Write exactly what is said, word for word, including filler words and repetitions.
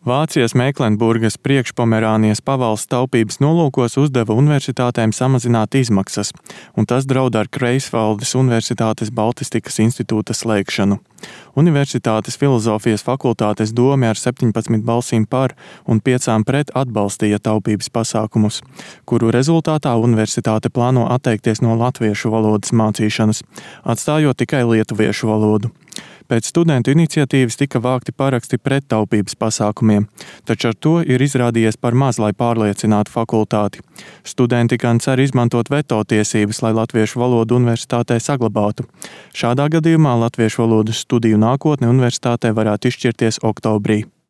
Vācijas Meiklenburgas priekšpomerānijas pavalsts taupības nolūkos uzdeva universitātēm samazināt izmaksas, un tas draud ar Greifsvaldes Universitātes Baltistikas institūta slēgšanu. Universitātes filozofijas fakultātes dome ar septiņpadsmit balsīm par un piecām pret atbalstīja taupības pasākumus, kuru rezultātā universitāte plāno atteikties no latviešu valodas mācīšanas, atstājot tikai lietuviešu valodu. Pēc studentu iniciatīvas tika vākti paraksti pret taupības pasākumiem, taču ar to ir izrādījies par maz, lai pārliecinātu fakultāti. Studenti gan cer izmantot veto tiesības, lai latviešu valodu universitātē saglabātu. Šādā gadījumā latviešu valodas studiju nākotne universitātē varētu izšķirties oktobrī.